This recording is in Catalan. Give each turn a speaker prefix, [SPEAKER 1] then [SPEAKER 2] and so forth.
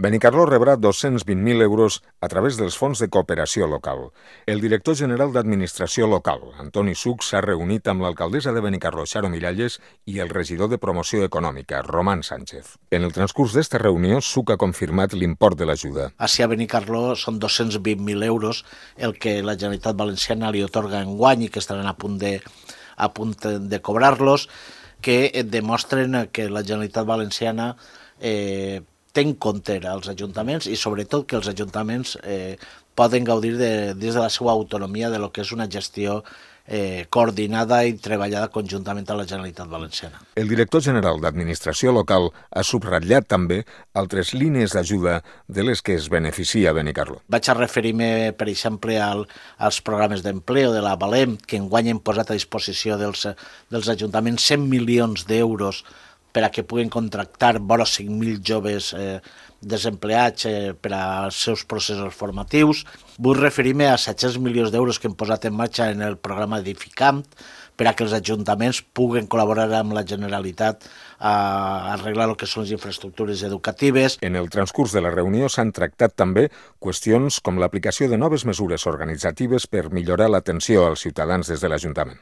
[SPEAKER 1] Benicarló rebrà 220.000 euros a través dels fons de cooperació local. El director general d'Administració Local, Antoni Suc, s'ha reunit amb l'alcaldessa de Benicarló, Xaro Miralles, i el regidor de Promoció Econòmica, Román Sánchez. En el transcurs d'esta reunió, Suc ha confirmat l'import de l'ajuda.
[SPEAKER 2] Així a Benicarló són 220.000 euros el que la Generalitat Valenciana li otorga enguany i que estaran a punt de cobrar-los, que demostren que la Generalitat Valenciana té en compte als ajuntaments i sobretot que els ajuntaments poden gaudir des de la seva autonomia de lo que és una gestió coordinada i treballada conjuntament amb la Generalitat Valenciana.
[SPEAKER 1] El director general d'Administració Local ha subratllat també altres línies d'ajuda de les que es beneficia Benicarló.
[SPEAKER 2] Vaig a referir-me, per exemple, als programes d'empleo de la Valem, que enguany hem posat a disposició dels ajuntaments 100 milions d'euros per a que puguen contractar vora 5.000 joves desempleats per als seus processos formatius. Vull referir-me a 700 milions d'euros que hem posat en marxa en el programa Edificant per a que els ajuntaments puguen col·laborar amb la Generalitat a arreglar el que són les infraestructures educatives.
[SPEAKER 1] En el transcurs de la reunió s'han tractat també qüestions com l'aplicació de noves mesures organitzatives per millorar l'atenció als ciutadans des de l'Ajuntament.